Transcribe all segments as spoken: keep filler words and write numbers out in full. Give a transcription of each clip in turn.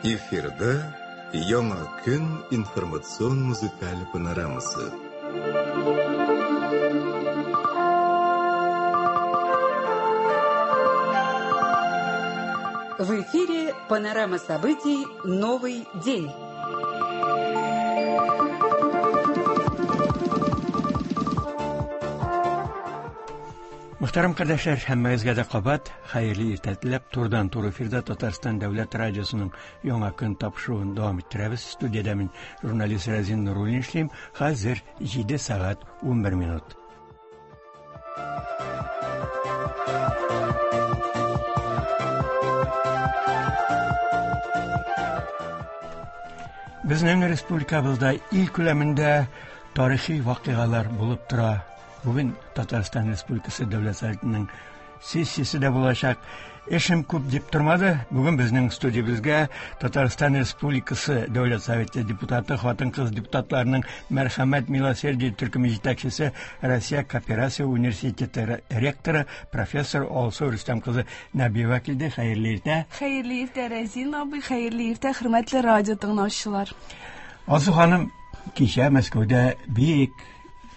Эфирда Яңа көн информацион музыкаль панорамасы. В эфире панорама событий «Новый день». Мөхтәрәм кардәшләр, һәммәгезгә дә кабат хәерле иртә теләп, турыдан-туры эфирда Татарстан дәүләт радиосының Яңа көн тапшыруын дәвам иттерәбез. Студиядә мин журналист Разин Нуруллин эшлим. Хәзер җиде сәгать унбер минут. Безнең республикабызда ил күләмендә тарихи вакыйгалар булып тора. Бүген Татарстан Республикасы Дәүләт Советының сессиясе дә булачак. Эшем күп дип тормады. Бүген безнең студиябезгә Татарстан Республикасы Дәүләт Советы депутаты, хатын-кыз депутатларының Мәрхәмәт Милосердие төркеме җитәкчесе, Россия Кооперация университеты ректоры, профессор Алсу Рөстәм кызы Нәбиева килде. Хәерле иртә. Хәерле иртә, Разин абый, хәерле иртә, хөрмәтле радио тыңлаучылар. Алсу ханым, кичә Мәскәүдә бик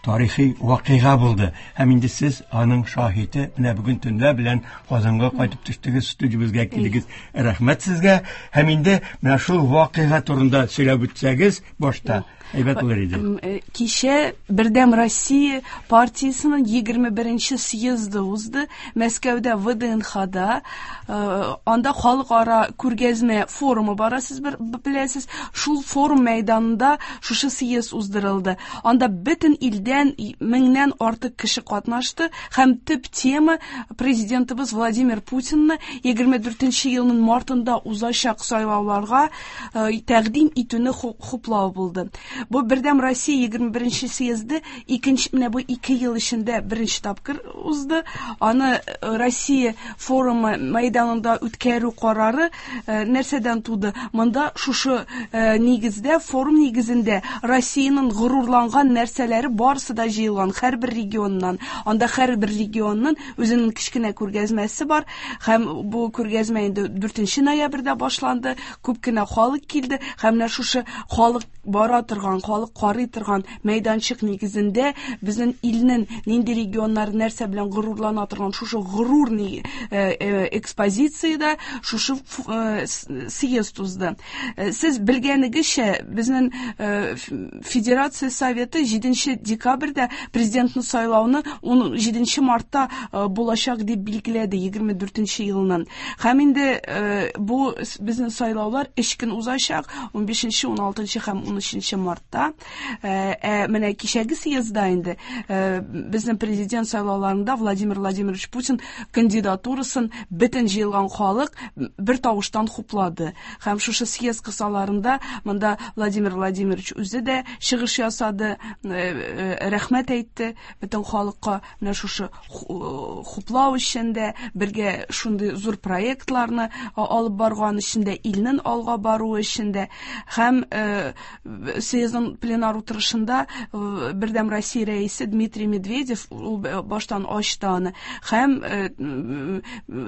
тарихи вакыйга булды. Һәм инде сез аның шаһиты. Менә бүген төнлә белән Казанга кайтып төштегез, студиябезгә килдегез. Рәхмәт сезгә. Һәм инде менә шул вакыйга турында сөйләп үтсәгез, башта әйбәт булыр иде. Кичә Бердәм Россия партиясенең егерме беренче съезды узды Мәскәүдә, вэ дэ эн хада. Анда халыкара күргәзмә форумы бара, сез беләсез. Шул форум мәйданында шушы съезд уздырылды. Анда бөтен илдән меңнән артык кеше катнашты һәм төп тема президентыбыз Владимир Путинны егерме дүртенче елның мартында узачак сайлауларга тәкъдим итүне хуплау булды. Бу Бердәм Россия егерме беренче съезды икенче, менә бу ике ел эчендә беренче тапкыр узды. Аны Россия форумы мәйданында үткәрү карары нәрсәдән туды? Монда шушы нигездә, форум нигезендә Россиянең горурланган нәрсәләре барысы да җыелган һәрбер регионнан. Анда һәрбер регионның үзенең кечкенә күргәзмәсе бар һәм бу күргәзмә инде дүртенче ноябрьдә башланды. Күп кенә халык килде һәм менә шушы халык бара торган, халык карый торган мәйданчык нигезендә безнең илнең нинди регионнары нәрсә белән горурлана торган шушы горур экспозициядә шушы съезд узды. Сез белгәнегезчә, безнең Федерация Советы җиденче декабрьдә президентны сайлауны ун җиденче мартта булачак дип билгеләде егерме дүртенче елның. Һәм инде бу безнең сайлаулар өч көн узачак, унбишенче, уналтынчы һәм унөченче мартта. Ә менә кичәге съездда инде безнең президент сайлауларында Владимир Владимирович Путин кандидатурасын бөтен җыелган халык бер тавыштан хуплады. Һәм шушы съезд кысаларында монда Владимир Владимирович үзе дә чыгыш ясады, рәхмәт әйтте бөтен халыкка менә шушы хуплау өчен дә, бергә шундый зур проектларны алып барган өчен дә, илнең алга баруы өчен дә. Һәм съездның пленар утырышында Бердәм Россия рәисе Дмитрий Медведев ул баштан ачты аны. Һәм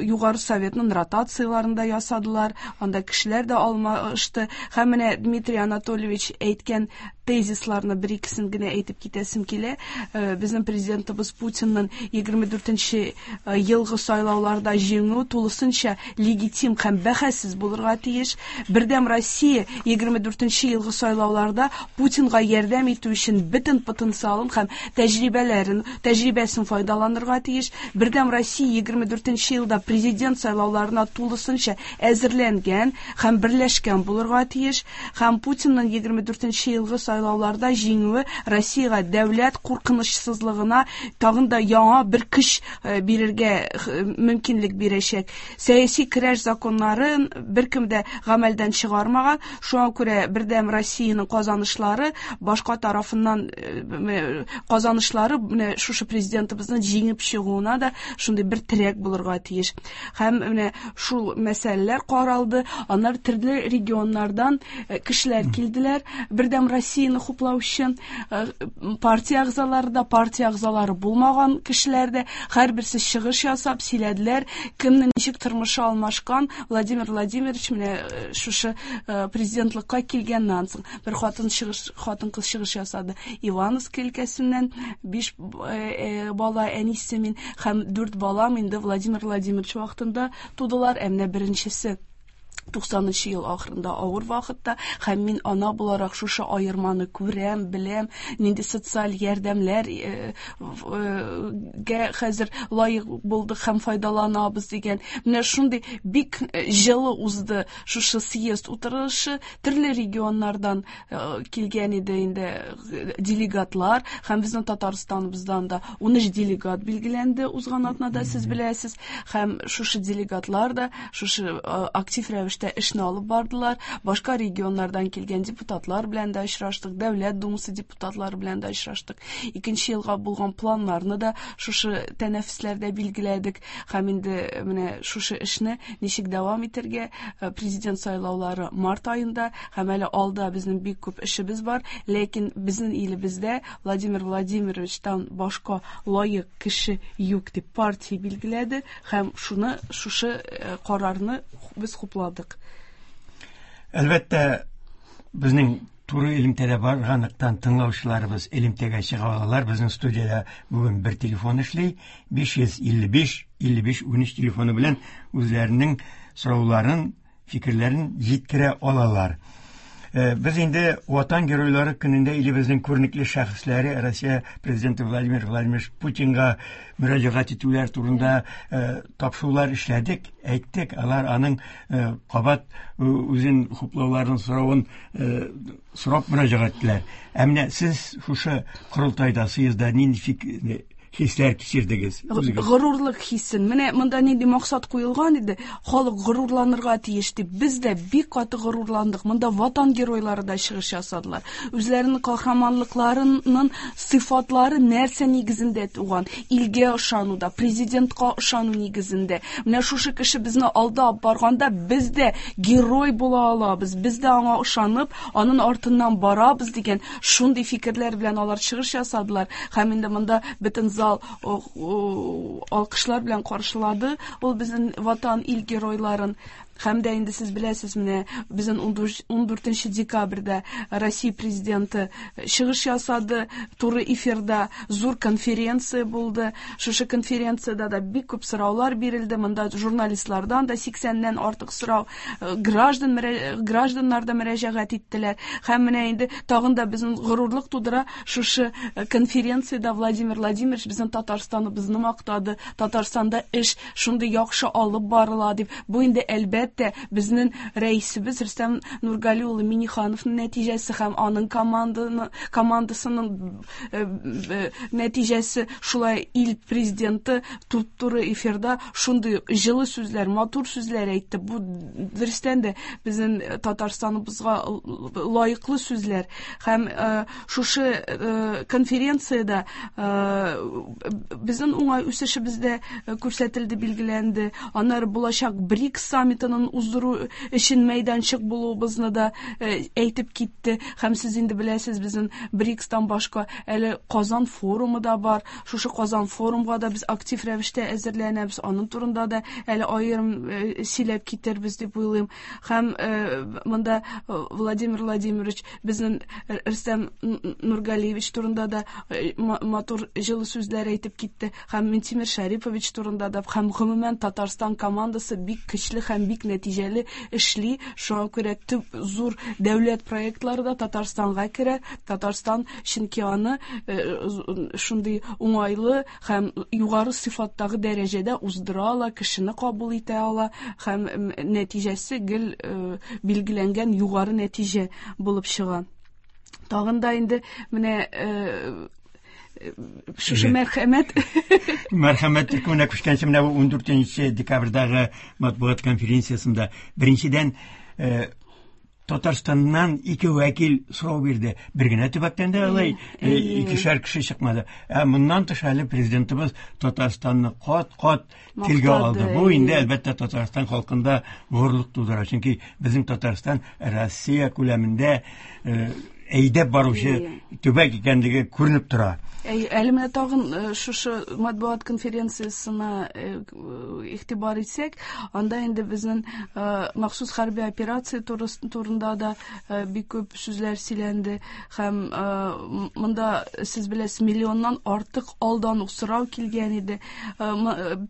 Югары Советның ротацияларын да ясадылар, анда кешеләр дә алмашты. Һәм менә Дмитрий Анатольевич әйткән тезисларны бер икесен генә әйтеп китәсем килә. Безнең президентыбыз Путинның егерме дүртенче елгы сайлауларда җиңү тулысынча легитим һәм бәхәссез булырга тиеш. Бердәм Россия егерме дүртенче елгы сайлауларда Путинга ярдәм итү өчен бөтен потенциалын һәм тәҗрибәләрен, тәҗрибәсен файдаланырга тиеш. Бердәм Россия егерме дүртенче елда президент сайлауларына тулысынча әзерләнгән һәм берләшкән булырга тиеш. Һәм Путинның егерме дүртенче елгы сайлауларда җиңүе Россиягә дәүләт куркынычсызлыгына тагын да яңа бер көч бирергә мөмкинлек бирәчәк. Сәяси көрәш законнарын беркем дә гамәлдән чыгармаган. Шуңа күрә Бердәм Россиянең казанышлары башка тарафыннан казанышлары менә шушы президентыбызның җиңеп чыгуына да шундый бер терәк булырга тиеш. Һәм менә шул мәсьәләләр каралды. Аннары төрле регионнардан кешеләр килделәр. Бердәм Россия Россияне хуплаучы партия әгъзалары да, партия әгъзалары булмаган кешеләр дә һәрберсе чыгыш ясап сөйләделәр, кемнең ничек тормышы алмашкан. Владимир Владимирович менә шушы президентлыкка килгәннән соң бер хатын чыгыш, хатын-кыз чыгыш ясады. Ивановск өлкәсеннән биш бала әнисе мин һәм дүрт балам инде Владимир Владимирович вакытында тудылар. Ә менә беренчесе туксанынчы ел ахырында авыр вакытта, һәм мин ана буларак шушы аерманы күрәм, беләм, нинди социаль ярдәмләр гә хәзер лаек булдык һәм файдаланабыз дигән. Менә шундый бик җылы узды шушы съезд утырышы. Төрле регионнардан килгән иде инде делегатлар, һәм безнең Татарстаныбыздан да ун өч делегат билгеләнде узган атнада, сез беләсез. Һәм шушы делегатлар да шушы актив рәвештә эшне алып бардылар. Башка регионнардан килгән депутатлар белән дә очраштык, Дәүләт Думасы депутатлары белән дә очраштык. Икенче елга булган планнарны да шушы тәнәфесләрдә билгеләдек. Һәм инде менә шушы эшне ничек дәвам итәргә, президент сайлаулары март аенда, һәм әле алда безнең бик күп эшебез бар, ләкин безнең илебездә Владимир Владимировичтан башка лаек кеше юк дип партия билгеләде, һәм шуны шушы карарны без хупладык. Әлбәттә, безнең туры элемтәдә барганлыктан тыңлаучыларыбыз элемтәгә чыга алалар. Безнең студиядә бүген бер телефон эшли, биш йөз илле биш илле биш унөч телефоны белән үзләренең сорауларын, фикерләрен җиткерә алалар. Без инде Ватан геройлары көнендә илебезнең күренекле шәхесләре Россия президенты Владимир Владимирович Путинга мөрәҗәгать итүләр турында тапшырулар эшләдек, әйттек. Алар аның кабат үзен хуплауларын соравын сорап мөрәҗәгать иттеләр. Ә менә сез шушы корылтайда, съездда нинди фикер хисләр кичердегез? Горурлык хисен. Менә монда нинди максат куелган иде? Халык горурланырга тиеш дип. Без дә бик каты горурландык. Монда ватан геройлары да чыгыш ясадылар. Үзләренең каһарманлыкларының сыйфатлары нәрсә нигезендә туган? Илгә ышануда, президентка ышану нигезендә. Менә шушы кеше безне алда алып барганда без дә герой була алабыз. Без дә аңа ышанып, аның артыннан барабыз дигән шундый фикерләр белән алар чыгыш ясадылар. Һәм инде монда бөтен зал алкышлар белән каршылады ул безнең ватан ил геройларын. Һәм дә инде сез беләсез, менә безнең ун дүртенче декабрьдә Россия президенты чыгыш ясады, туры эфирда зур конференция булды. Шушы конференциядә дә бик күп сораулар бирелде. Монда журналистлардан да сиксәннән артык сорау, граждан гражданнар да мөрәҗәгать иттеләр. Һәм менә инде тагын да безнең горурлык тудыра шушы конференциядә Владимир Владимирович безнең Татарстаныбызны мактады. Татарстанда эш шундый яхшы алып барыла дип. Бу инде әлбәттә безнең рәисебез Рөстәм Нургали улы Миннихановның нәтиҗәсе һәм аның командасының нәтиҗәсе. Шулай ил президенты туп-туры эфирда шундый җылы сүзләр, матур сүзләр әйтте. Бу дөрестән дә безнең Татарстаныбызга лаеклы сүзләр. Һәм шушы конференциядә безнең уңай үсешебез дә күрсәтелде, билгеләнде. Аннары булачак БРИКС саммитының уздыру өчен мәйданчык булуыбызны да әйтеп китте. Һәм сез инде беләсез, безнең БРИКСтан башка әле Казан форумы да бар. Шушы Казан форумга да без актив рәвештә әзерләнәбез. Аның турында да әле аерым сөйләп китербез дип уйлыйм. Һәм монда Владимир Владимирович безнең Рөстәм Нургалиевич турында да матур җылы сүзләр әйтеп китте. Һәм Минтимер Шәрипович турында да, һәм гомумән Татарстан командасы бик көчле һәм бик нәтиҗәле эшли. Шуңа күрә төп зур дәүләт проектлары да Татарстанга керә. Татарстан чөнки аны шундый уңайлы һәм югары сыйфаттагы дәрәҗәдә уздыра ала, кешене кабул итә ала һәм нәтиҗәсе гел билгеләнгән югары нәтиҗә булып чыга. Тагын да инде менә шушы мәрхәмәт мәрхәмәт төркеменә күчкәнче, менә бу ун дүртенче декабрьдәге матбугат конференциясендә беренчедән Татарстаннан ике вәкил сорау бирде. Бер генә төбәктән дә алай икешәр кеше чыкмады. Ә моннан тыш әле президентыбыз Татарстанны кат-кат телгә алды. Бу инде әлбәттә Татарстан халкында горурлык тудыра. Чөнки безнең Татарстан Россия күләмендә әйдәп баручы төбәк икәнлеге күренеп тора. Әле менә тагын шушы матбугат конференциясенә игътибар итсәк, анда инде безнең махсус хәрби операция турында да бик күп сүзләр сөйләнде һәм монда сез беләсез миллионнан артык алдан ук сорау килгән иде.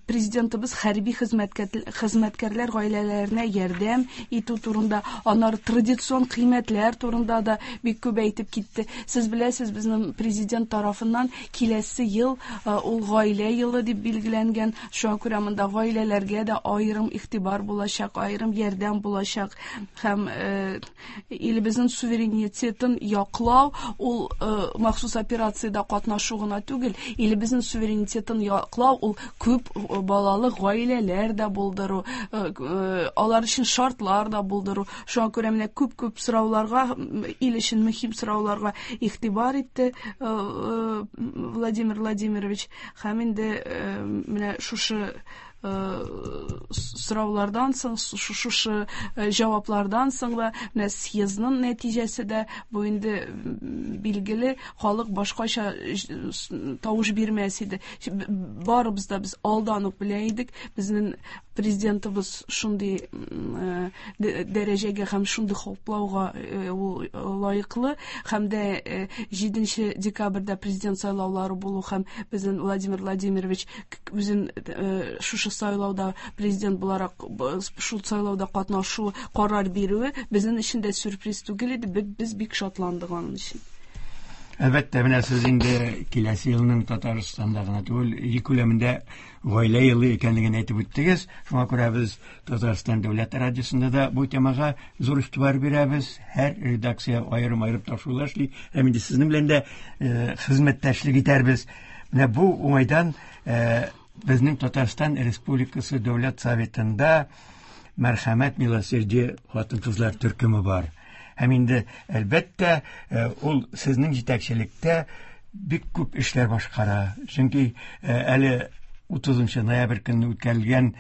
Президентыбыз хәрби хезмәткәрләр гаиләләренә ярдәм итү турында, аннары традицион кыйммәтләр турында да бик күп әйтеп китте. Сез беләсез, безнең президент тарафыннан киләсе ел ул гаилә елы дип билгеләнгән. Шуңа күрә монда гаиләләргә дә аерым игътибар булачак, аерым ярдәм булачак һәм илебезнең суверенитетын яклау ул махсус операциядә катнашу гына түгел, илебезнең суверенитетын яклау ул күп балалы гаиләләр дә булдыру, алар өчен шартлар да булдыру. Шуңа күрә менә күп-күп сорауларга, ил өчен мөһим сорауларга игътибар итте Владимир Владимирович. Һәм инде менә шушы сораулардан соң, шушы җаваплардан соң да менә съездның нәтиҗәсе дә бу инде билгеле, халык башкача тавыш бирмәс иде. Барыбыз да без алдан ук белә идек, безнең президентыбыз шундый дәрәҗәгә һәм шундый хуплауга ул лаеклы. Һәм дә җиденче декабрьдә президент сайлаулары булу һәм безнең Владимир Владимирович үзен шушы сайлауда президент буларак шул сайлауда катнашу карар бирүе безнең өчен дә сюрприз түгел иде. Без бик шатландык аның өчен. Әлбәттә, менә сез инде киләсе елның Татарстанда гына түгел, ил күләмендә гаилә елы икәнлеген әйтеп үттегез. Шуңа күрә без Татарстан дәүләт радиосында да бу темага зур игътибар бирәбез. Һәр редакция аерым-аерым тапшырулар эшли. Һәм инде сезнең белән дә хезмәттәшлек итәрбез. Менә бу уңайдан безнең Татарстан Республикасы Дәүләт Советында Мәрхәмәт милосердие хатын-кызлар төркеме бар. Һәм инде әлбәттә ул сезнең җитәкчелектә бик күп эшләр башкара. Чөнки әле утызынчы ноябрь көнне үткәрелгән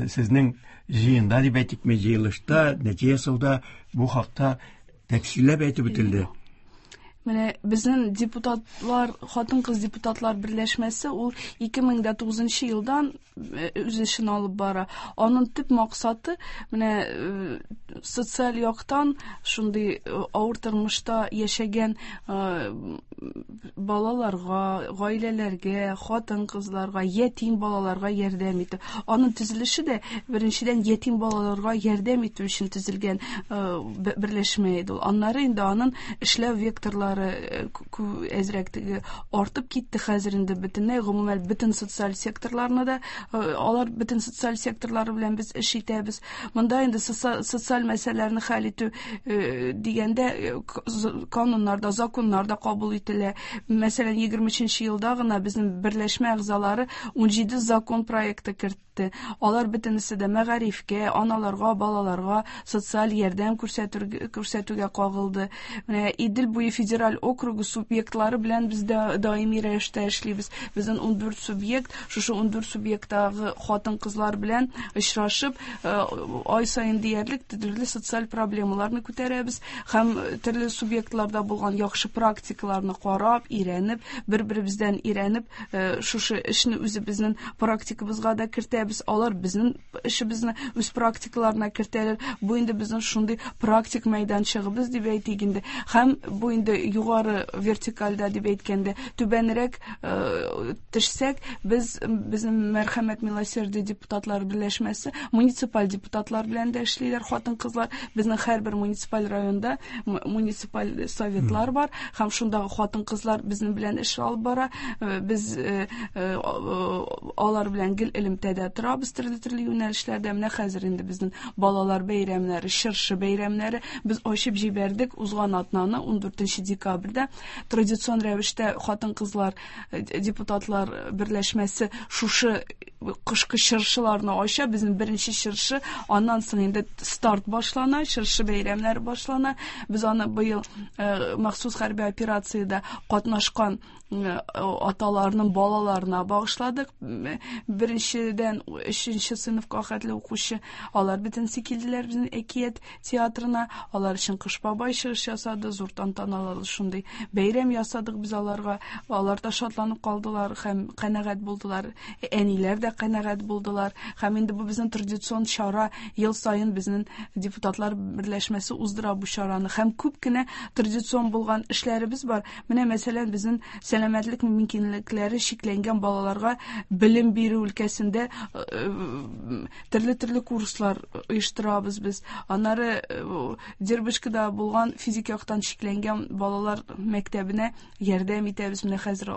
сезнең җыенда дип әйтикме, җыелышта, нәтиҗә ясауда бу хакта тәфсилләп әйтеп үтелде. Менә безнең депутатлар, хатын-кыз депутатлар берләшмәсе ул ике мең дә тугызынчы елдан үз эшен алып бара. Аның төп максаты менә социаль яктан шундый авыр тормышта яшәгән балаларга, гаиләләргә, хатын-кызларга, ятим балаларга ярдәм итү. Аның төзелеше дә беренчедән ятим балаларга ярдәм итү өчен төзелгән берләшмә иде ул. Аннары инде аның эшләү векторлары әзрәк теге артып китте. Хәзер инде бөтенләй, гомумән, бөтен социаль секторларны да, алар бөтен социаль секторлары белән без эш итәбез. Монда инде социаль мәсьәләләрне хәл итү дигәндә кануннарда, законнарда кабул ителә. Мәсәлән, егерме өченче елда гына безнең берләшмә әгъзалары ун җиде закон проекты кертте. Алар бөтенесе дә мәгарифкә, аналарга, балаларга социаль ярдәм күрсәтүгә кагылды. Менә Идел буе федераль округы субъектлары белән без дә даими рәвештә эшлибез. Безнең ун дүрт субъект, шушы ун дүрт субъекттагы хатын-кызлар белән очрашып, ай саен диярлек төрле социаль проблемаларны күтәрәбез һәм төрле субъектларда булган яхшы практикаларны карап, өйрәнеп, бер-беребездән өйрәнеп, шушы эшне үзебезнең практикабызга да кертәбез. Алар безнең эшебезне үз практикаларына кертәләр. Бу инде безнең шундый практик мәйданчыгыбыз дип әйтик инде. Һәм бу инде югары вертикальдә дип әйткәндә, түбәнрәк төшсәк, без безнең Мәрхәмәт милосердие депутатлар берләшмәсе муниципаль депутатлар белән дә эшлиләр хатын-кызлар. Безнең һәрбер муниципаль районда муниципаль советлар бар һәм шундагы хатын-кызлар безнең белән эш алып бара. Без алар белән гел элемтәдә торабыз төрле-төрле юнәлешләрдә. Менә хәзер инде безнең балалар бәйрәмнәре, чыршы бәйрәмнәре без ачып җибәрдек узган атнаны ун дүртенче декабрьдә традицион рәвештә хатын-кызлар депутатлар берләшмәсе шушы кышкы чыршыларны ача. Безнең беренче чыршы, аннан соң инде старт башлана, чыршы бәйрәмнәре башлана. Без аны быел махсус хәрби операциядә катнашкан аталарының балаларына багышладык. Беренчедән өченче сыйныфка хәтле укучы, алар бөтенесе килделәр безнең әкият театрына. Алар өчен Кыш бабай чыгыш ясады, зур тантаналы шундый бәйрәм ясадык без аларга. Алар да шатланып калдылар һәм канәгать булдылар. Әниләр дә канәгать булдылар. Һәм инде бу безнең традицион чара, ел саен безнең депутатлар берләшмәсе уздыра бу чараны. Һәм күп кенә традицион булган эшләребез бар. Менә мәсәлән, безнең сәламәтлек мөмкинлекләре чикләнгән балаларга белем бирү өлкәсендә төрле-төрле курслар оештырабыз без. Аннары Дербышкада булган физик яктан чикләнгән балалар мәктәбенә ярдәм итәбез. Менә хәзер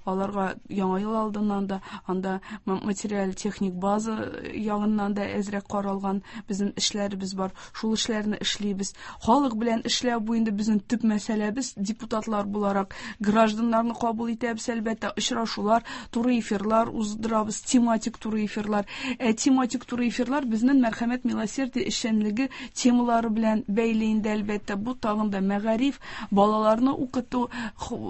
аларга яңа ел алдыннан да анда материаль техник база ягыннан да әзрәк каралган безнең эшләребез бар. Шул эшләрне эшлибез. Халык белән эшләү бу инде безнең төп мәсьәләбез. Депутатлар буларак гражданнарны кабул итәбез, әлбәттә, очрашулар, туры эфирлар уздырабыз, тематик туры эфирлар. Ә тематик туры эфирлар безнең мәрхәмәт милосердие эшчәнлеге темалары белән бәйле инде, әлбәттә. Бу тагын да мәгариф, балаларны укыту,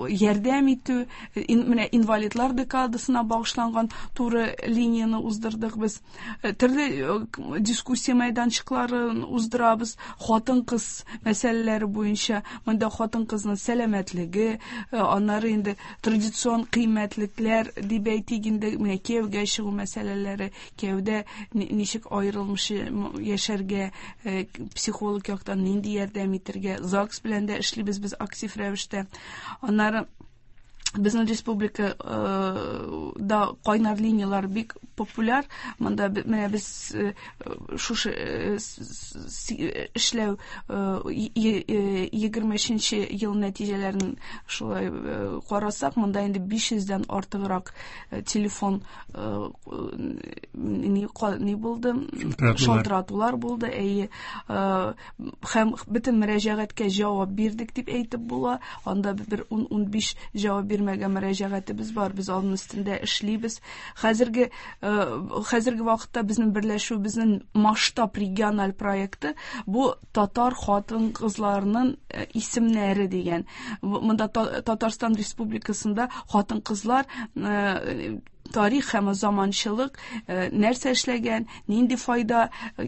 ярдәм итү, менә инвалидлар декадасына багышланган туры линияне уздырдык без. Төрле дискуссия мәйданчыкларын уздырабыз, хатын-кыз мәсьәләләре буенча. Монда хатын-кызның сәламәтлеге, аннары инде традицион кыйммәтлекләр дип әйтик инде, менә кияүгә чыгу мәсьәләләре, кияүдә ничек аерылмыш яшәргә, психолог яктан нинди ярдәм итәргә, ЗАГС белән дә эшлибез без актив рәвештә. Аннары безнең республика да кайнар линиялар бик популяр. Монда менә без шушы эшләү егерме өченче ел нәтиҗәләрен шулай карасак, монда инде биш йөздән артыграк телефон ни булды, шалтыратулар булды. Әйе, һәм бөтен мөрәҗәгатькә җавап бирдек дип әйтеп була. Анда бер ун-ун биш җавап бирмәгән мөрәҗәгатебез бар, без аның өстендә эшлибез. Хәзерге хәзерге вакытта безнең берләшү, безнең масштаб региональ проекты бу татар хатын-кызларының исемнәре дигән. Монда Татарстан Республикасында хатын-кызлар тарих һәм заманчылык нәрсә эшләгән, нинди файда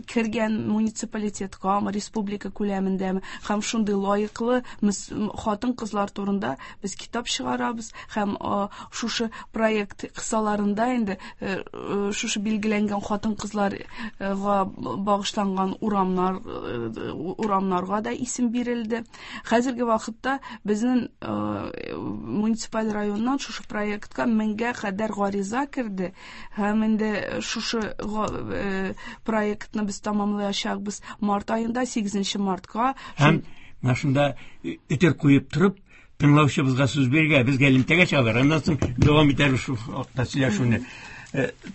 кергән муниципалитетка, республика күләмендә, һәм шундый лаеклы хатын-кызлар турында без китап чыгарабыз. Һәм шушы проект кысаларында инде шушы билгеләнгән хатын-кызларга багышланган урамнар, урамнарга да исем бирелде. Хәзерге вакытта безнең муниципаль районнан шушы проектка меңгә кадәр гариза керде. Һәм инде шушы проектны без тамамлаячакбыз март аенда, сигезенче мартка. Һәм менә шунда өтер куеп торып, тыңлаучыбызга сүз бирергә, безгә элемтәгә чыгалар. Аннан соң дәвам итәрбез шул хакта сөйләшүне.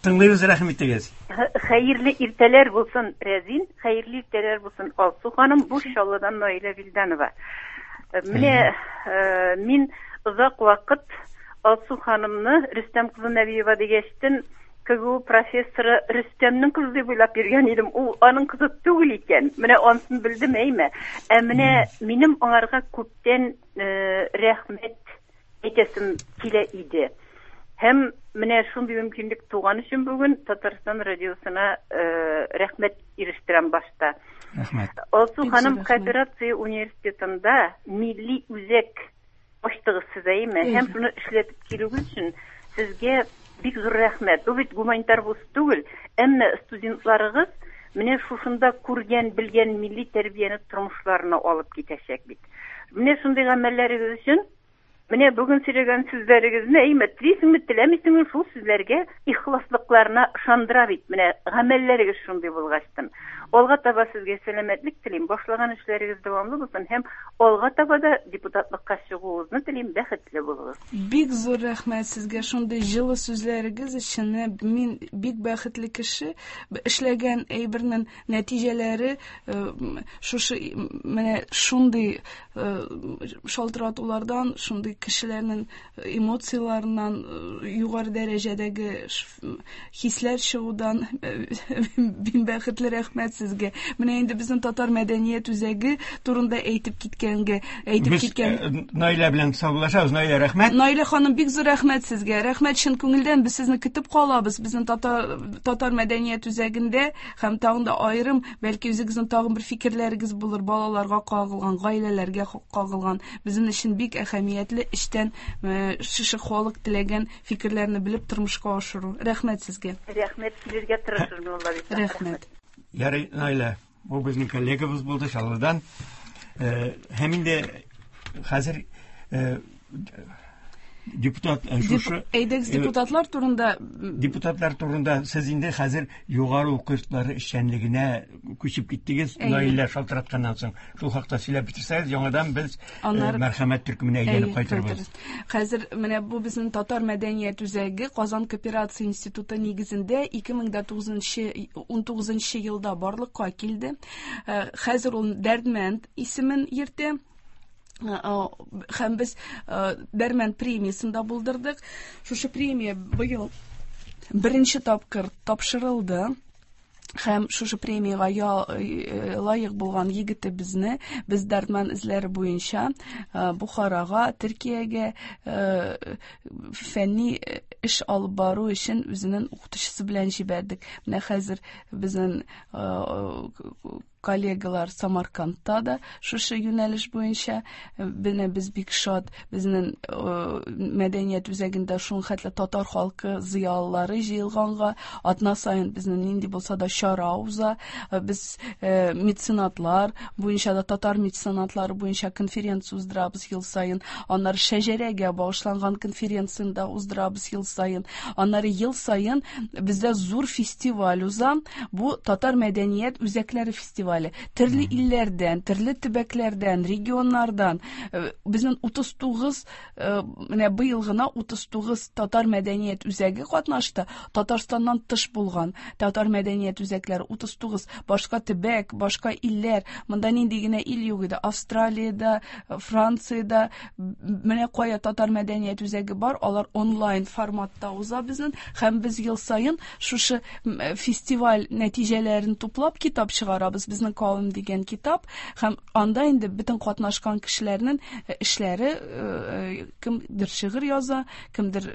Тыңлыйбыз, рәхим итегез. Хәерле иртәләр булсын, Рәзин, хәерле иртәләр булсын, Алсу ханым. Бу Чаллыдан Наилә Вилданова. Менә мин озак вакыт Алсу ханымны Рөстәм кызы Нәбиева дигәчтен КГУ профессоры Рөстәмнең кызы дип уйлап йөргән идем. Ул аның кызы түгел икән. Менә анысын белдем, әйме. Ә менә минем аңарга күптән рәхмәт әйтәсем килә иде. Һәм менә шундый мөмкинлек туган өчен бүген Татарстан радиосына рәхмәт ирештерәм башта. Рәхмәт. Алсу ханым, кооперация университетында милли үзәк ачтыгыз сез, әйме? Һәм шуны эшләтеп килүегез өчен сезгә бик зур рәхмәт. Бу бит гуманитар вуз түгел, әмма студентларыгыз менә шушында күргән, белгән милли тәрбияне тормышларына алып китәчәк бит. Менә шундый гамәлләрегез өчен, менә бүген сөйләгән сүзләрегезне, әйме, телисеңме, теләмисеңме, шул сүзләргә ихласлыкларына ышандыра бит. Менә гамәлләрегез шундый булгачтын. Алга таба сезгә сәламәтлек телим, башлаган эшләрегез дәвамлы булсын һәм алга таба да депутатлыкка чыгуыгызны телим, бәхетле булыгыз. Бик зур рәхмәт сезгә шундый җылы сүзләрегез өчен. Мин бик бәхетле кеше. Эшләгән әйбернең нәтиҗәләре шушы менә шундый шалтыратулардан, шундый кешеләрнең эмоцияларыннан, югары дәрәҗәдәге хисләр чыгудан мин бәхетле, рәхмәт сезгә. Менә инде безнең татар мәдәният үзәге турында әйтеп киткәнгә, әйтеп киткән. Наилә белән саубуллашабыз. Наилә, рәхмәт. Наилә ханым, бик зур рәхмәт сезгә. Рәхмәт чын күңелдән. Без сезне көтеп калабыз. Безнең татар татар мәдәният үзәгендә һәм тагын да аерым, бәлки үзегезнең тагын бер фикерләрегез булыр, балаларга кагылган, гаиләләргә кагылган. Безнең өчен бик әһәмиятле эштән шушы халык теләгән фикерләрне белеп тормышка ашыру. Рәхмәт сезгә. Рәхмәт, килергә тырышырмын, Алла бирсә. Рәхмәт. Ярый, Наилә, бу безнең коллегабыз булды Чаллыдан. Һәм инде хәзер депутат шушы әйдәгез депутатлар турында депутатлар турында сез инде хәзер югары уку йортлары эшчәнлегенә күчеп киттегез. Наилә шалтыратканнан соң шул хакта сөйләп бетерсәгез, яңадан без мәрхәмәт төркеменә әйләнеп кайтырбыз. Хәзер менә бу безнең татар мәдәният үзәге Казан кооперация институты нигезендә ике мең тугызынчы ун тугызынчы елда барлыкка килде. Хәзер ул Дәрдмәнд исемен йөртә. Һәм без Дәрмән премиясен дә булдырдык. Шушы премия быел беренче тапкыр тапшырылды. Һәм шушы премиягә лаек булган егетебезне без Дәрдмән эзләре буенча Бухарага, Төркиягә фәнни эш алып бару өчен үзенең укытучысы белән җибәрдек. Менә хәзер безнең коллегалар Самаркандта да шушы юнәлеш буенча. Менә без бик шат, безнең мәдәният үзәгендә шул хәтле татар халкы зыялылары җыелганга, атна саен безнең нинди булса да чара уза. Без меценатлар буенча да, татар меценатлары буенча конференция уздырабыз ел саен. Аннары шәҗәрәгә багышланган конференцияне дә уздырабыз ел саен. Аннары ел саен бездә зур фестиваль уза. Бу татар мәдәният үзәкләре фестивале. Төрле илләрдән, төрле төбәкләрдән, регионнардан безнең утыз тугыз, менә быел гына утыз тугыз татар мәдәният үзәге катнашты. Татарстаннан тыш булган татар мәдәният үзәкләре утыз тугыз, башка төбәк, башка илләр. Монда нинди генә ил юк иде. Австралиядә, Франциядә, менә кая татар мәдәният үзәге бар, алар онлайн форматта уза безнең. Һәм без ел саен шушы фестиваль нәтиҗәләрен туплап китап чыгарабыз. Безнең кавым дигән китап, һәм анда инде бөтен катнашкан кешеләрнең эшләре, кемдер шигырь яза, кемдер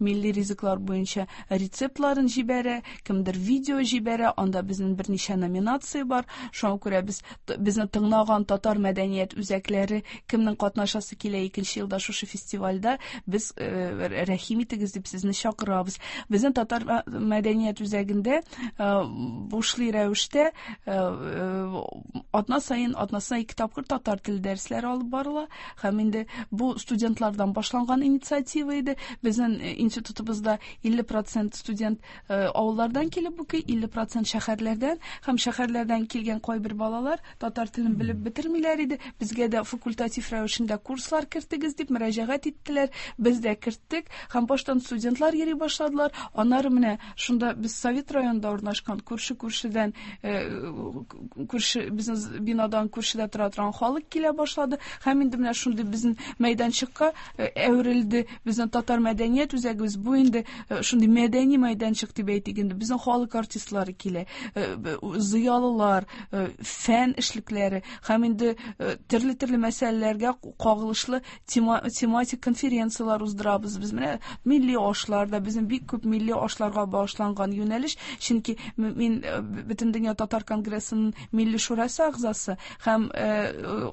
милли ризыклар буенча рецептларын җибәрә, кемдер видео җибәрә. Анда безнең берничә номинация бар. Шуңа күрә без безне тыңлаган татар мәдәният үзәкләре, кемнең катнашасы килә икенче елда шушы фестивальдә, без рәхим итегез дип сезне чакырабыз. Безнең татар мәдәният үзәгендә бушлай рәвештә атна саен, атнасына ике тапкыр татар теле дәресләре алып барыла. Һәм инде бу студентлардан башланган инициатива иде. Безнең институтыбызда илле процент студент авыллардан килеп укый, илле процент шәһәрләрдән. Һәм шәһәрләрдән килгән кайбер балалар татар телен белеп бетермиләр иде. Безгә дә факультатив рәвешендә курслар кертегез дип мөрәҗәгать иттеләр. Без дә керттек. Һәм баштан студентлар йөри башладылар. Аннары менә шунда без Совет районында урнашкан күрше-күршедән, күрше безнең бинадан күршедә тора торган халык килә башлады. Һәм инде менә шундый безнең мәйданчыкка әверелде безнең татар мәдәният үзәгебез. Бу инде шундый мәдәни мәйданчык дип әйтик инде. Безнең халык артистлары килә, зыялылар, фән эшлекләре һәм инде төрле-төрле мәсьәләләргә кагылышлы тематик конференцияләр уздырабыз. Без менә милли ашларда, безнең бик күп милли ашларга багышланган юнәлеш, чөнки мин Бөтендөнья татар конгрессының милли шурасы әгъзасы һәм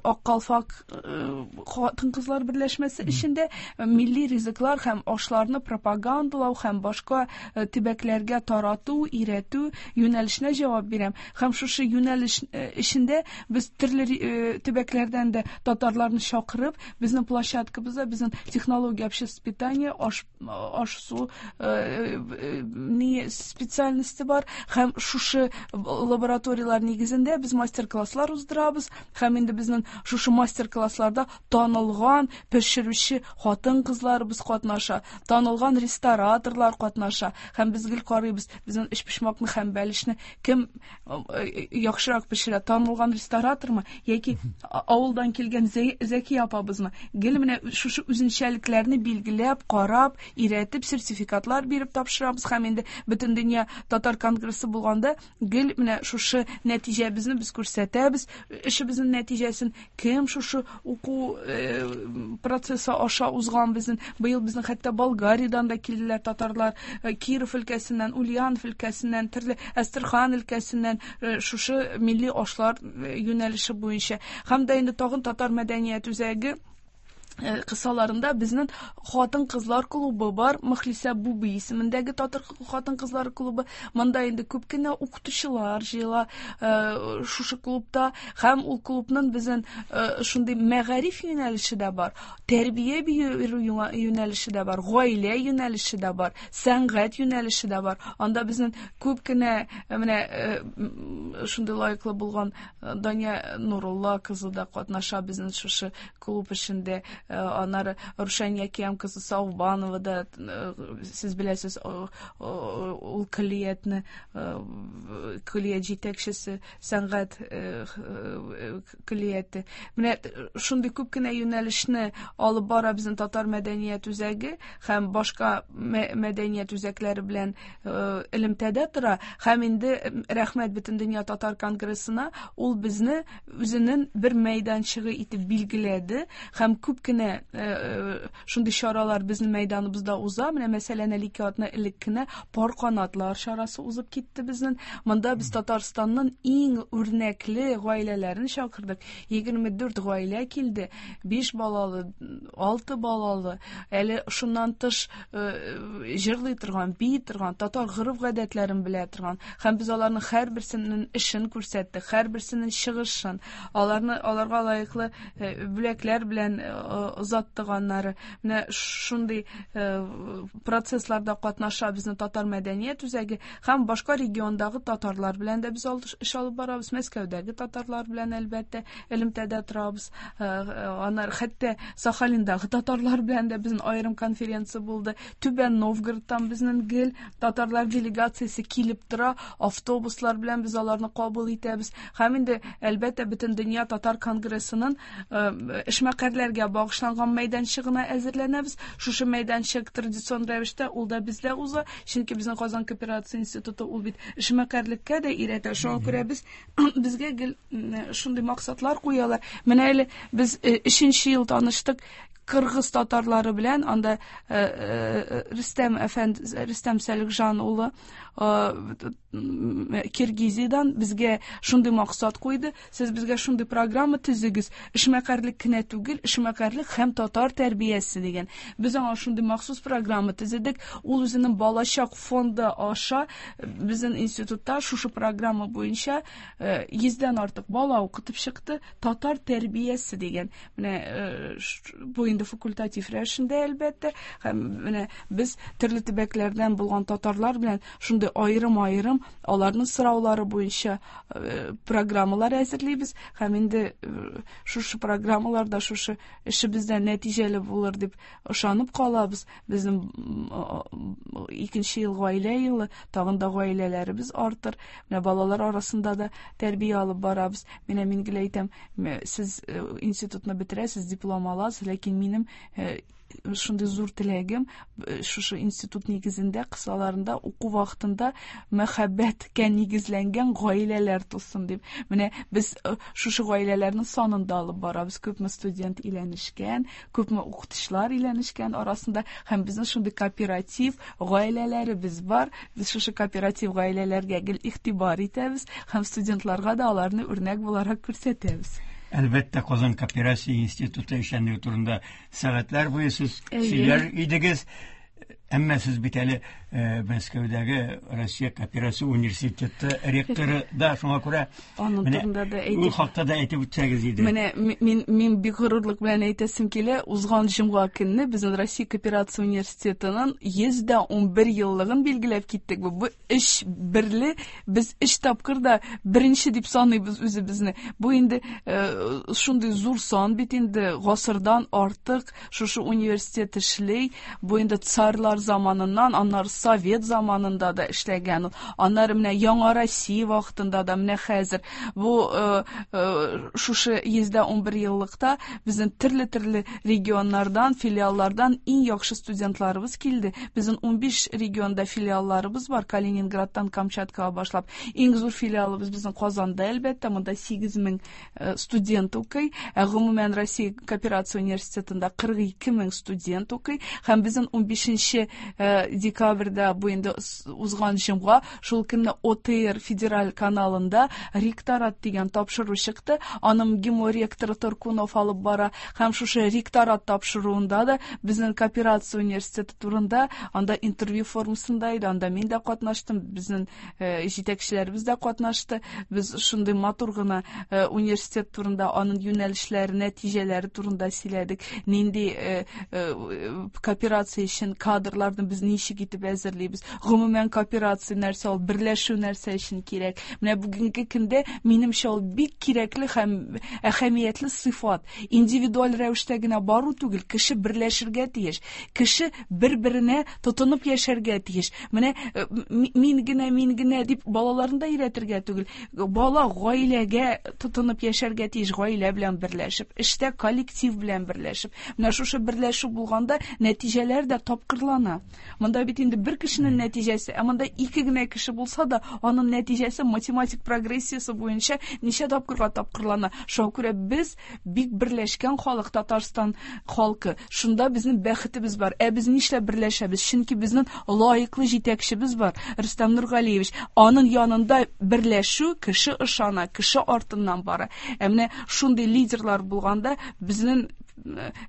Ак калфак хатын-кызлар берләшмәсе эчендә милли ризыклар һәм ашларны пропагандалау һәм башка төбәкләргә тарату, өйрәтү юнәлешенә җавап бирәм. Һәм шушы юнәлеш эчендә без төрле төбәкләрдән дә татарларны чакырып, безнең площадкабызда безнең технология общественного питания, аш, аш-су ни специальности бар, һәм шушы лабораториялар нигезендә без мастер-класслар уздырабыз. Һәм инде безнең шушы мастер-классларда танылган пешерүче хатын-кызларыбыз катнаша, танылган рестораторлар катнаша. Һәм без гел карыйбыз, безнең өчпочмакны һәм бәлешне бәлешне кем яхшырак пешерә, танылган ресторатормы яки авылдан килгән Зәки апабызмы? Гел менә шушы үзенчәлекләрне билгеләп, карап, өйрәтеп, сертификатлар биреп тапшырабыз. Һәм инде Бөтендөнья татар конгрессы булганда гел менә шушы нәтиҗәбезне без күрсәтәбез, эшебезнең нәтиҗәсен, кем шушы уку процессы аша узган безнең. Быел безнең хәтта Болгариядән дә килделәр татарлар, Киров өлкәсеннән, Ульянов өлкәсеннән, төрле Әстерхан өлкәсеннән шушы милли ашлар юнәлеше буенча. Һәм дә инде тагын татар мәдәният үзәге кысаларында безнең хатын-кызлар клубы бар, Мөхлисә Буби исемендәге татар хатын-кызлар клубы. Монда инде күп кенә укытучылар җыела шушы клубта, һәм ул клубның безнең шундый мәгариф юнәлеше дә бар, тәрбия бирү юнәлеше дә бар, гаилә юнәлеше дә бар, сәнгать юнәлеше дә бар. Анда безнең күп кенә менә шундый лаеклы булган Дания Нурулла кызы да катнаша безнең шушы клуб эшендә. Аннары Рушания Киям кызы Саубанова да, сез беләсез, ул көллиятне, көллият җитәкчесе, сәнгать көллияте. Менә шундый күп кенә юнәлешне алып бара безнең татар мәдәният үзәге һәм башка мәдәният үзәкләре белән элемтәдә тора. Һәм инде рәхмәт Бөтендөнья татар конгрессына, ул безне үзенең бер мәйданчыгы итеп билгеләде һәм күп кенә шундый чаралар безнең мәйданыбызда уза. Менә мәсәлән, әле ике атна элек кенә пар канатлар чарасы узып китте безнең. Монда без Татарстанның иң үрнәкле гаиләләрен чакырдык. Егерме дүрт гаилә килде. Биш балалы, алты балалы, әле шуннан тыш җырлый торган, бии торган, татар гореф-гадәтләрен белә торган. Һәм без аларның һәрберсенең эшен күрсәттек, һәрберсенең чыгышын, аларны аларга лаеклы бүләкләр белән озаттыганнары. Менә шундый процессларда катнаша безнең татар мәдәният үзәге һәм башка региондагы татарлар белән дә без эш алып барабыз. Мәскәүдәге татарлар белән әлбәттә элемтәдә торабыз. Аннары хәтта Сахалиндагы татарлар белән дә безнең аерым конференция булды. Түбән Новгородтан безнең гел татарлар делегациясе килеп тора, автобуслар белән без аларны кабул итәбез. Һәм инде әлбәттә Бөтендөнья татар конгрессының эшмәкәрләргә багышланган мәйданчыгына әзерләнәбез. Шушы мәйданчык традицион рәвештә ул да бездә уза, чөнки безнең Казан кооперация институты ул бит эшмәкәрлеккә дә өйрәтә. Шуңа күрә без безгә гел шундый максатлар куялар. Менә әле без өченче ел таныштык кыргыз татарлары белән, анда Рөстәм әфәнде, Рөстәм Сәлихҗан улы Киргизиядән безгә шундый максат куйды: сез безгә шундый программа төзегез, эшмәкәрлек кенә түгел, эшмәкәрлек һәм татар тәрбиясе дигән. Без аңа шундый махсус программа төзедек. Ул үзенең балачак фонды аша безнең институтта шушы программа буенча йөздән артык бала укытып чыкты, татар тәрбиясе дигән. Менә бу инде факультатив рәвешендә әлбәттә, һәм менә без төрле төбәкләрдән булган татарлар белән шундый аерым-аерым аларның сораулары буенча программалар әзерлибез һәм инде шушы программаларда шушы эшебездә нәтиҗәле булыр дип ышанып калабыз. Безнең икенче ел гаилә елы, тагын да гаиләләребез артыр. Менә балалар арасында да тәрбия алып барабыз. Менә мин гел әйтәм, сез институтны бетерәсез, диплом аласыз, ләкин минем шундый зур теләгем шушы институт нигезендә, кысаларында уку вакытында мәхәббәткә нигезләнгән гаиләләр тусын дип. Менә без шушы гаиләләрнең санын да алып барабыз. Күпме студент өйләнешкән, күпме укытучылар өйләнешкән арасында, һәм безнең шундый кооператив гаиләләребез бар. Без шушы кооператив гаиләләргә гел игътибар итәбез һәм студентларга да аларны үрнәк буларак күрсәтәбез. Әлбәттә, Казан кооперация институты эшчәнлеге турында сәгатьләр буе сез сөйләр идегез. Әмма сез бит әле Мәскәүдәге Россия кооперация университеты ректоры да, шуңа күрә аның турында да әйтеп, ул хакта да әйтеп үтсәгез иде. Менә мин мин бик горурлык белән әйтәсем килә, узган җомга көнне безнең Россия кооперация университетының йөз дә унбер еллыгын билгеләп киттек. Бу өч берле, без өч тапкыр да беренче дип саныйбыз үзебезне. Бу инде шундый зур сан бит инде, гасырдан артык шушы университет эшли. Бу инде царлар заманыннан, аннары Совет заманында да эшләгән ул. Аннары менә Яңа Россия вакытында да, менә хәзер бу шушы йөздә унбер еллыкта безнең төрле-төрле регионнардан, филиаллардан иң яхшы студентларыбыз килде. Безнең унбиш регионда филиалларыбыз бар, Калининградтан Камчаткага башлап. Иң зур филиалыбыз безнең Казанда, әлбәттә, монда сигез мең студент укый. Ә гомумән Россия кооперация университетында кырык ике мең студент укый. Һәм безнең унбишенче декабрьдә, бу инде узган җомга, шул көнне О Т Р федераль каналында ректорат дигән тапшыру чыкты. Аның МГИМО ректоры Торкунов алып бара. Һәм шушы ректорат тапшыруында да безнең кооперация университеты турында анда интервью формасында иде. Анда мин дә катнаштым, безнең җитәкчеләребез дә катнашты. Без шундый матур гына университет турында, аның юнәлешләре, нәтиҗәләре турында сөйләдек. Нинди кооперация өчен кадрларны без ничек итеп әзерлибез. Гомумән кооперация нәрсә ул, берләшү нәрсә өчен кирәк. Менә бүгенге көндә минемчә ул бик кирәкле һәм әһәмиятле сыйфат. Индивидуаль рәвештә генә бару түгел, кеше берләшергә тиеш. Кеше бер-беренә тотынып яшәргә тиеш. Менә мин генә, мин генә дип балаларны да өйрәтергә түгел. Бала гаиләгә тотынып яшәргә тиеш, гаилә белән берләшеп, эштә коллектив белән берләшеп. Менә шушы берләшү булганда нәтиҗәләр дә тапкырлана. Монда бит инде бер кешенең нәтиҗәсе, ә монда ике генә кеше булса да, аның нәтиҗәсе математик прогрессиясе буенча ничә тапкырга тапкырлана. Шуңа күрә без бик берләшкән халык, Татарстан халкы. Шунда безнең бәхетебез бар. Ә без нишләп берләшәбез? Чөнки безнең лаеклы җитәкчебез бар, Рөстәм Нургалиевич. Аның янында берләшү, кеше ышана, кеше артыннан бара. Ә менә шундый лидерлар булганда безнең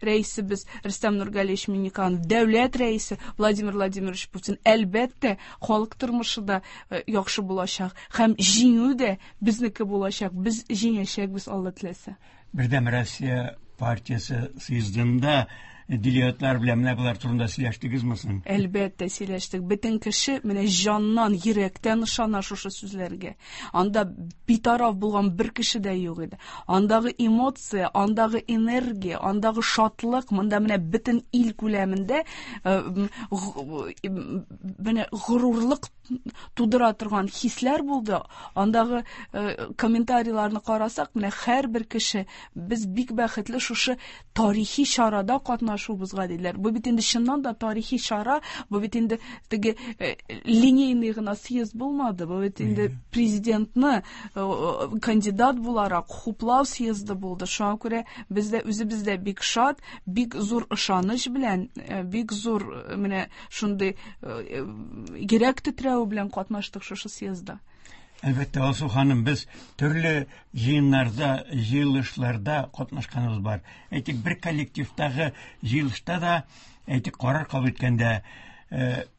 рәисебез Рөстәм Нургалиевич Минниханов, дәүләт рәисе Владимир Владимирович Путин, әлбәттә, халык тормышы да яхшы булачак һәм җиңү дә безнеке булачак. Без җиңәчәкбез, Алла теләсә. Бердәм Россия партиясе съездында делегатлар белән менә болар турында сөйләштегезме соң? Әлбәттә, сөйләштек. Бөтен кеше менә җаннан, йөрәктән ышана шушы сүзләргә. Анда битараф булган бер кеше дә юк иде. Андагы эмоция, андагы энергия, андагы шатлык, монда менә бөтен ил күләмендә менә горурлык тудыра торган хисләр булды. Андагы комментарийларны карасак, менә һәрбер кеше без бик бәхетле шушы тарихи чарада катнашуыбызга диләр. Бу бит инде чыннан да тарихи чара, бу бит инде теге линейный гына съезд булмады, бу бит инде президентны кандидат буларак хуплау съезды булды. Шуңа күрә без дә үзебез дә бик шат, бик зур ышаныч белән, бик зур менә шундый йөрәк тетрәве белән катнаштык шушы съездда. Әлбәттә, Алсу ханым, без төрле җыеннарда, җыелышларда катнашканыбыз бар. Әйтик, бер коллективтагы җыелышта да, әйтик, карар кабул иткәндә,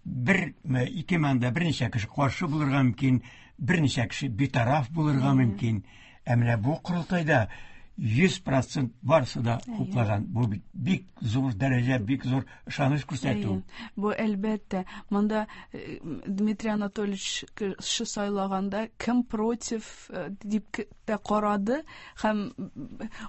бер, ике манда берничә кеше каршы булырга мөмкин, берничә кеше битараф булырга мөмкин. Ә менә бу корылтайда йөз процент барысы да хуплаган. Бу бик зур дәрәҗә, бик зур ышаныч күрсәтү. Бу әлбәттә, монда Дмитрий Анатольевич кеше сайлаганда кем против дип тә карады һәм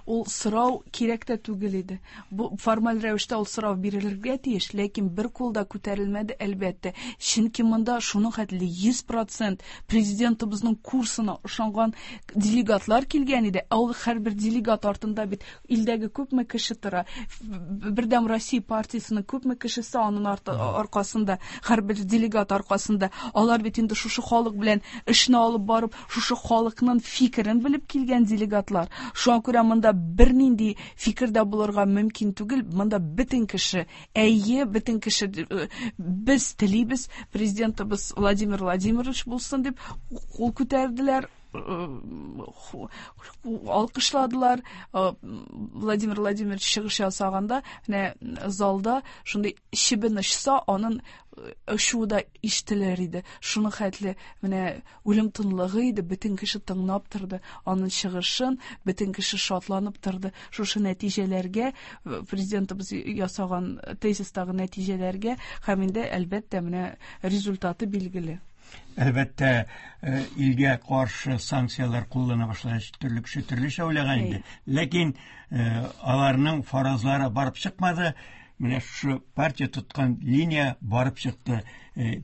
ул сорау кирәк тә түгел иде. Бу формаль рәвештә ул сорау бирелергә тиеш, ләкин бер кул да күтәрелмәде әлбәттә. Чөнки монда шуның хәтле йөз процент президентыбызның курсына ышанган делегатлар килгән иде. Ә ул һәрбер делегат артында бит илдәге күпме кеше тора. Бердәм Россия партиясенең күпме кешесе аның аркасында, һәрбер делегат аркасында. Алар бит инде шушы халык белән эшне алып барып, шушы халыкның фикерен белеп килгән делегатлар. Шуңа күрә монда бернинди фикер дә булырга мөмкин түгел. Монда бөтен кеше, әйе, бөтен кеше без телибез президентыбыз Владимир Владимирович булсын дип кул күтәрделәр, алкышладылар. Владимир Владимирович чыгыш ясаганда, менә залда шундый чебен очса, аның очуы да ишетелер иде. Шуның хәтле менә үлем тынлыгы иде, бөтен кеше тыңлап торды аның чыгышын, бөтен кеше шатланып торды. Шушы нәтиҗәләргә, президентыбыз ясаган тезистагы нәтиҗәләргә һәм инде әлбәттә менә результаты билгеле. Әлбәттә, илгә каршы санкцияләр куллана башлагач, төрле кеше төрлечә уйлаган иде. Ләкин аларның фаразлары барып чыкмады. Менә шушы партия тоткан линия барып чыкты.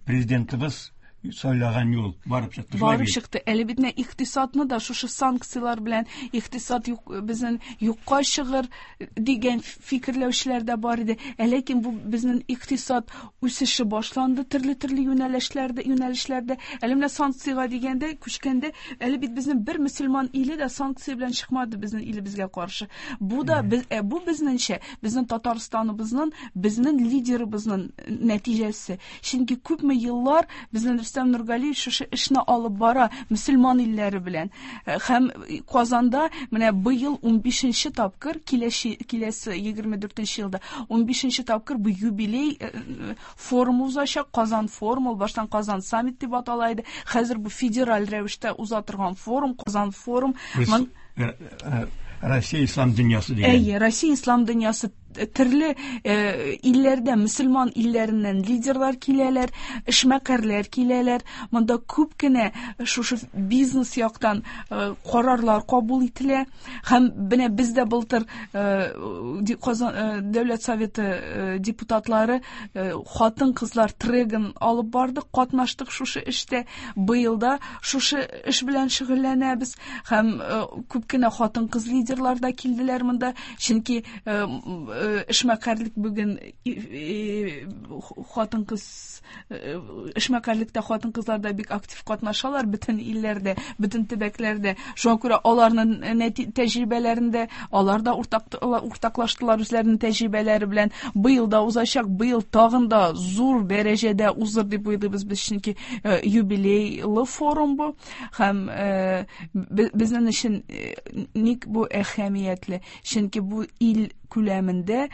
Президентыбыз сайлаган юл барып чыкты. Барып чыкты. Әле бит менә икътисадны да шушы санкцияләр белән икътисад юк, безнең юкка чыгыр дигән фикерләүчеләр дә бар иде. Ә ләкин бу безнең икътисад үсеше башланды төрле-төрле юнәлешләрдә, юнәлешләрдә. Әле менә санкциягә дигәндә, күчкәндә, әле бит безнең бер мөселман иле дә санкция белән чыкмады безнең илебезгә каршы. Бу да без, ә бу безнеңчә, безнең Татарстаныбызның, безнең лидерыбызның нәтиҗәсе. Чөнки күпме еллар безнең Рөстәм Нургалиев шушы эшне алып бара мөселман илләре белән. Һәм Казанда менә быел унбишенче тапкыр, киләсе, киләсе егерме дүртенче елда унбишенче тапкыр бу юбилей форум узачак. Казан форум, ул баштан Казан саммит дип атала иде. Хәзер бу федераль рәвештә уза торган форум, Казан форум. Россия ислам дөньясы дигән. Әйе, Россия ислам дөньясы. Төрле илләрдә, мөселман илләреннән лидерлар киләләр, эшмәкәрләр киләләр. Монда күп кенә шушы бизнес яктан карарлар кабул ителә. Һәм менә без дә былтыр Казан Дәүләт Советы депутатлары хатын-кызлар трегын алып бардык, катнаштык шушы эштә. Быел да шушы эш белән шөгыльләнәбез. Һәм күп кенә хатын-кыз лидерлар да килделәр монда, чөнки эшмәкәрлек бүген хатын-кыз эшмәкәрлектә хатын-кызлар да бик актив катнашалар бөтен илләрдә, бөтен төбәкләрдә. Шуңа күрә аларның тәҗрибәләрендә алар да уртаклаштылар үзләренең тәҗрибәләре белән. Быел да узачак, быел тагын да зур дәрәҗәдә узыр дип уйлыйбыз без, чөнки юбилейлы форум бу. Һәм безнең өчен ник бу әһәмиятле? Чөнки бу ил күләмендә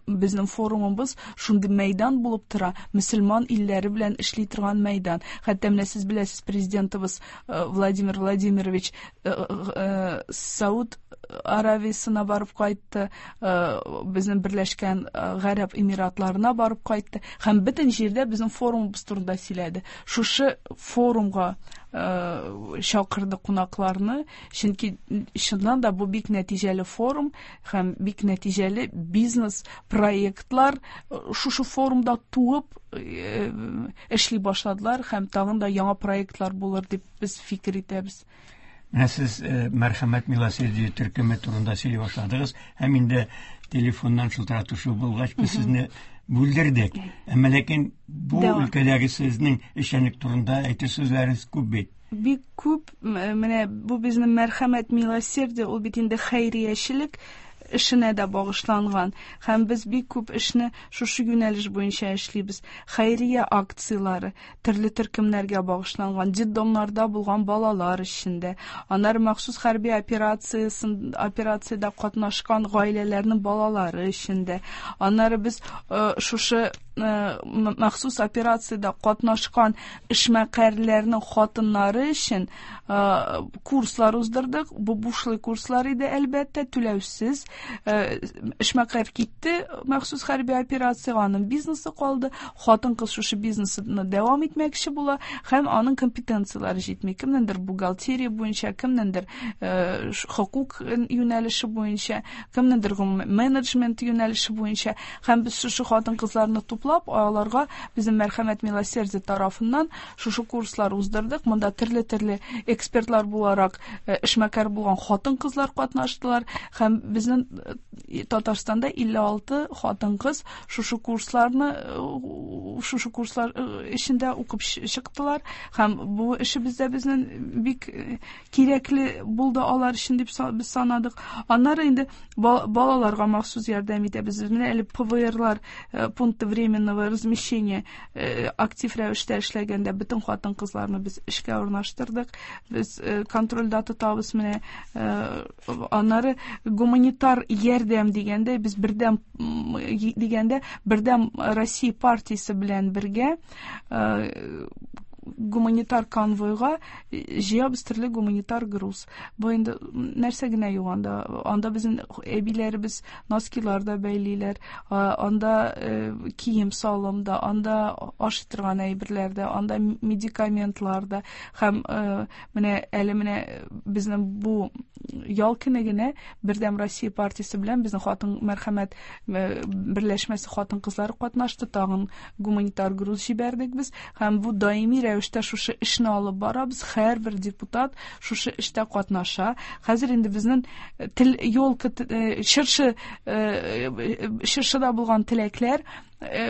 безнең форумыбыз шундый мәйдан булып тора, мөселман илләре белән эшли торган мәйдан. Хәтта менә сез беләсез, президентыбыз Владимир Владимирович Сауд Аравиясына барып кайтты, безнең Берләшкән Гарәп Эмиратларына барып кайтты һәм бөтен җирдә безнең форумыбыз турында сөйләде. Шушы форумга чакырды кунакларны, чөнки чыннан да бу бик нәтиҗәле форум һәм бик нәтиҗәле бизнес проектлар шушы форумда туып эшли башладылар һәм тагын да яңа проектлар булыр дип без фикер итәбез. Менә сез Мәрхәмәт милосердие төркеме турында сөйли башладыгыз һәм инде телефоннан шылтыратышу булгач без сезне бүлдердек. Әмма ләкин бу өлкәдәге сезнең эшчәнлек турында әйтер сүзләрегез күп бит. Бик күп. Менә бу безнең Мәрхәмәт милосердие, ул бит инде хәйриячелек эшенә дә багышланган. Һәм без бик күп эшне шушы юнәлеш буенча эшлибез. Хәйрия акцияләре төрле төркемнәргә багышланган, детдомнарда булган балалар эчендә, аннары махсус хәрби операциясен, операциядә катнашкан гаиләләрнең балалары эчендә. Аннары без шушы махсус операциядә катнашкан эшмәкәрләрнең хатыннары өчен курслар уздырдык. Бу бушлай курслар иде, әлбәттә, түләүсез. Эшмәкәр китте махсус хәрби операциягә, аның бизнесы калды. Хатын-кыз шушы бизнесны дәвам итмәкче була һәм аның компетенцияләре җитми. Кемнеңдер бухгалтерия буенча, кемнеңдер хокук юнәлеше буенча, кемнеңдер менеджмент юнәлеше буенча. Һәм без шушы хатын-кызларны туплап, аларга безнең Мәрхәмәт милосердие тарафыннан шушы курслар уздырдык. Монда төрле-төрле экспертлар буларак эшмәкәр булган хатын-кызлар катнаштылар һәм безнең Татарстанда илле алты хатын-кыз шушы курсларны, шушы курслар эчендә укып чыктылар һәм бу эшебез дә безнең бик кирәкле булды алар өчен дип без санадык. Аннары инде балаларга махсус ярдәм итәбез. Менә әле П В Р-лар, пункты временного размещения актив рәвештә эшләгәндә бөтен хатын-кызларны без эшкә урнаштырдык. Без контрольдә тотабыз менә. Аннары гуманитар ярдәм дигәндә, без бердәм дигәндә Бердәм Россия партиясе белән бергә гуманитар конвойга җыябыз төрле гуманитар груз. Бу инде нәрсә генә юк анда. Анда безнең әбиләребез носкилар да бәйлиләр, анда кием салым да, анда ашый торган әйберләр дә, анда медикаментлар да. Һәм менә әле менә безнең бу ял көне генә Бердәм Россия партиясе белән безнең хатын мәрхәмәт берләшмәсе хатын-кызлары катнашты. Тагын гуманитар груз җибәрдек без һәм бу даими рәвештә шушы эшне алып барабыз. Һәрбер депутат шушы эштә катнаша. Хәзер инде безнең тел елка чыршы чыршыда булган теләкләр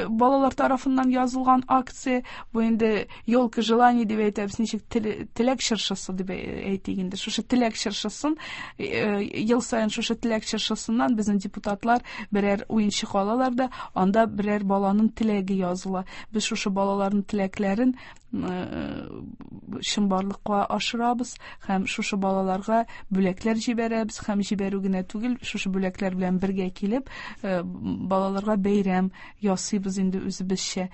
балалар тарафыннан язылган акция, бу инде елка желаний дип әйтәбез, ничек теләк чыршысы дип әйтик инде. Шушы теләк чыршысын ел саен шушы теләк чыршысыннан безнең депутатлар берәр уенчык алалар да, анда берәр баланың теләге языла. Без шушы балаларның теләкләрен чынбарлыкка ашырабыз һәм шушы балаларга бүләкләр җибәрәбез һәм җибәрү генә түгел, шушы бүләкләр белән бергә килеп балаларга бәйрәм ясыйбыз инде үзебезчә.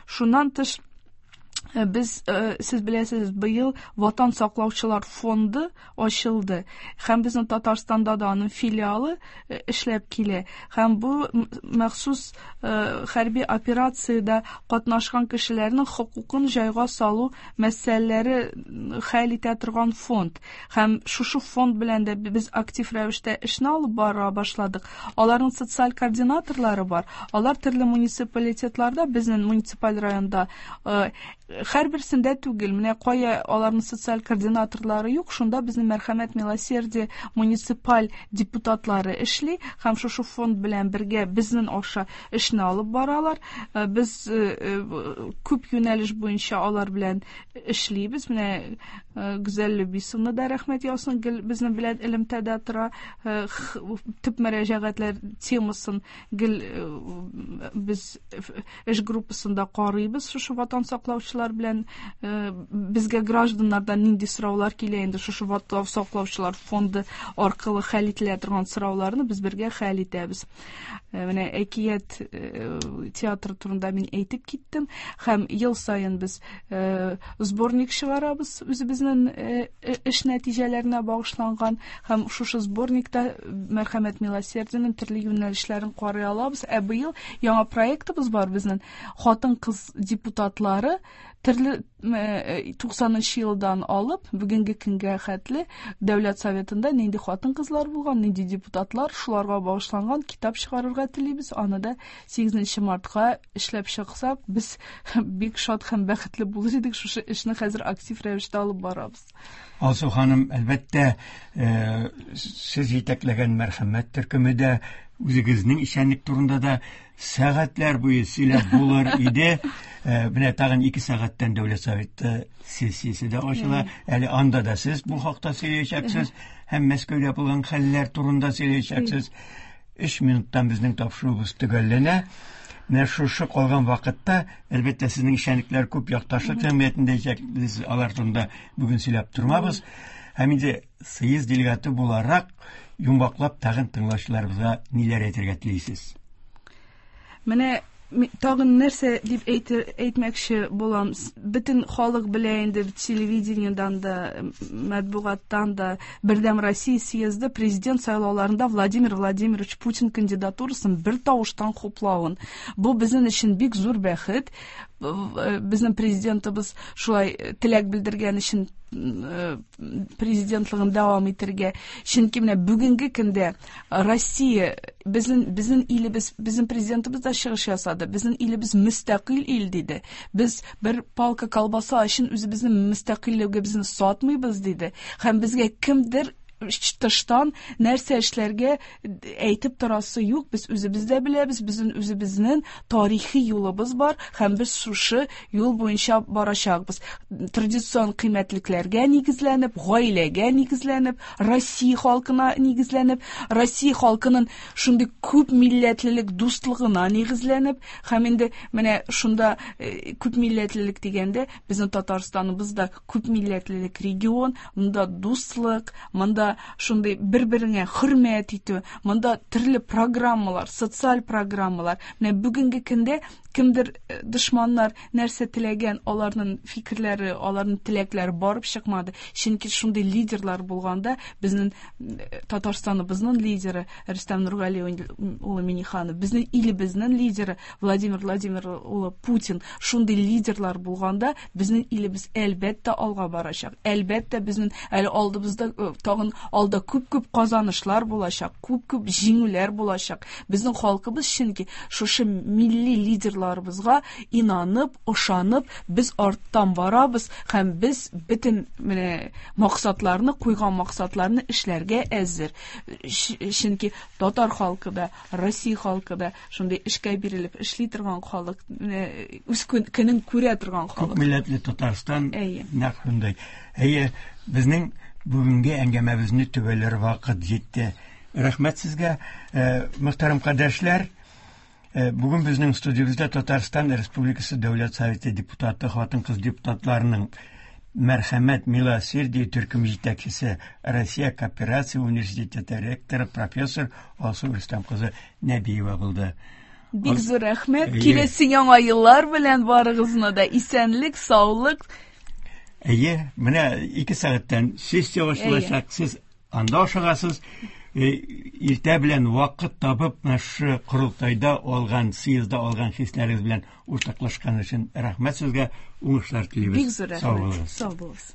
Шуннан тыш без, сез беләсез, быел Ватан саклаучылар фонды ачылды һәм безнең Татарстанда да аның филиалы эшләп килә. Һәм бу махсус хәрби операциядә катнашкан кешеләрнең хокукын җайга салу мәсьәләләре хәл итә торган фонд. Һәм шушы фонд белән дә без актив рәвештә эшне алып бара башладык. Аларның социаль координаторлары бар. Алар төрле муниципалитетларда, безнең муниципаль районда һәрберсендә түгел, менә кая аларның социаль координаторлары юк, шунда безнең Мәрхәмәт Милосердие муниципаль депутатлары эшли һәм шушы фонд белән бергә безнең аша эшне алып баралар. Без күп юнәлеш буенча алар белән эшлибез. Менә Гүзәл Любисовна да рәхмәт яусын, гел безнең белән элемтәдә тора. Төп мөрәҗәгатьләр темасын гел без эш группасында карыйбыз. Шушы ватан саклаучылар белән безгә гражданнардан нинди сораулар килә инде, шушы ватан саклаучылар фонды аркылы хәл ителә торган сорауларны без бергә хәл итәбез. Менә әкият театры турында мин әйтеп киттем һәм ел саен без сборник чыгарабыз үзебезнең эш нәтиҗәләренә багышланган һәм шушы сборникта Мәрхәмәт Милосердиенең төрле юнәлешләрен карый алабыз. Ә быел яңа проектыбыз бар безнең, хатын-кыз депутатлары төрле туксанынчы елдан алып бүгенге көнгә хәтле Дәүләт Советында нинди хатын-кызлар булган, нинди депутатлар, шуларга багышланган китап чыгарырга телибез. Аны да сигезенче мартка эшләп чыксак, без бик шат һәм бәхетле булыр идек. Шушы эшне хәзер актив рәвештә алып барабыз. Алсу ханым, әлбәттә, сез җитәкләгән Мәрхәмәт төркеме дә, үзегезнең эшчәнлек турында да сәгатьләр буе сөйләп булыр иде. Менә тагын ике сәгатьтән Дәүләт Советы сессиясе дә ачыла. Әле анда да сез бу хакта сөйләячәксез һәм Мәскәүдә булган хәлләр турында сөйләячәксез. Өч минуттан безнең тапшыруыбыз төгәлләнә. Менә шушы калган вакытта, әлбәттә, сезнең эшчәнлекләр күп, якташлык җәмгыятендә эшләгез, алар турында бүген сөйләп тормабыз. Һәм инде съезд делегаты буларак йомгаклап тагын тыңлаучыларыбызга ниләр әйтергә телисез? Менә тагын нәрсә дип әйтмәкче булам. Бөтен халык белә инде, телевидениедан да, матбугаттан да, Бердәм Россия съезды президент сайлауларында Владимир Владимирович Путин кандидатурасын бер тавыштан хуплавын. Бу безнең өчен бик зур бәхет. Безнең президентыбыз шулай теләк белдергән өчен президентлыгын дәвам итәргә. Чөнки менә бүгенге көндә Россия, безнең, безнең илебез, безнең президентыбыз да чыгыш ясады. Безнең илебез мөстәкыйль ил диде. Без бер палка колбаса өчен үзебезнең мөстәкыйльлегебезне сатмыйбыз диде. Һәм безгә кемдер тыштан нәрсә эшләргә әйтеп торасы юк, без үзебез дә беләбез, безнең үзебезнең тарихи юлыбыз бар һәм без шушы юл буенча барачакбыз. Традицион кыйммәтлекләргә нигезләнеп, гаиләгә нигезләнеп, Россия халкына нигезләнеп, Россия халкының шундый күп милләтлелек дуслыгына нигезләнеп, һәм инде менә шунда күп милләтлелек дигәндә безнең Татарстаныбыз да күп милләтлелек регион, монда дуслык, монда шундый бер-береңә хөрмәт итү, монда төрле программалар, социаль программалар. Менә бүгенге көндә кемдер дошманнар нәрсә теләгән, аларның фикерләре, аларның теләкләре барып чыкмады. Чөнки шундый лидерлар булганда, безнең Татарстаныбызның лидеры Рөстәм Нургали улы Минниханов, безнең илебезнең лидеры Владимир Владимир улы Путин, шундый лидерлар булганда, безнең илебез әлбәттә алга барачак. Әлбәттә, безнең әле алдыбызда тагын Алда күп-күп казанышлар булачак, күп-күп җиңүләр булачак. Безнең халкыбыз чөнки шушы милли лидерларыбызга инанып, ышанып, без арттан барабыз һәм без бөтен менә максатларны, куйган максатларны эшләргә әзер. Чөнки татар халкы да, Россия халкы да шундый эшкә бирелеп эшли торган халык, менә үз көнен күрә торган халык. Күп милләтле Татарстан нәкъ шундый. Әйе, безнең бүгенге әңгәмәбезне төгәлләр вакыт җитте. Рәхмәт сезгә, мөхтәрәм кардәшләр. Бүген безнең студиябездә Татарстан Республикасы Дәүләт Советы депутаты, хатын-кыз депутатларының Мәрхәмәт Милосердие төркем җитәкчесе, Россия кооперация университеты ректоры, профессор Алсу Рөстәм кызы Нәбиева булды. Бик зур рәхмәт. Киләсе яңа еллар белән барыгызны да исәнлек, саулык. Әйе, менә ике сәгатьтән сессия башланачак. Сез анда ашыгасыз. Иртә белән вакыт табып, менә шушы корылтайда алган, съездда алган хисләрегез белән уртаклашкан өчен рәхмәт сезгә, уңышлар телибез. Бик зур рәхмәт. Сау булыгыз.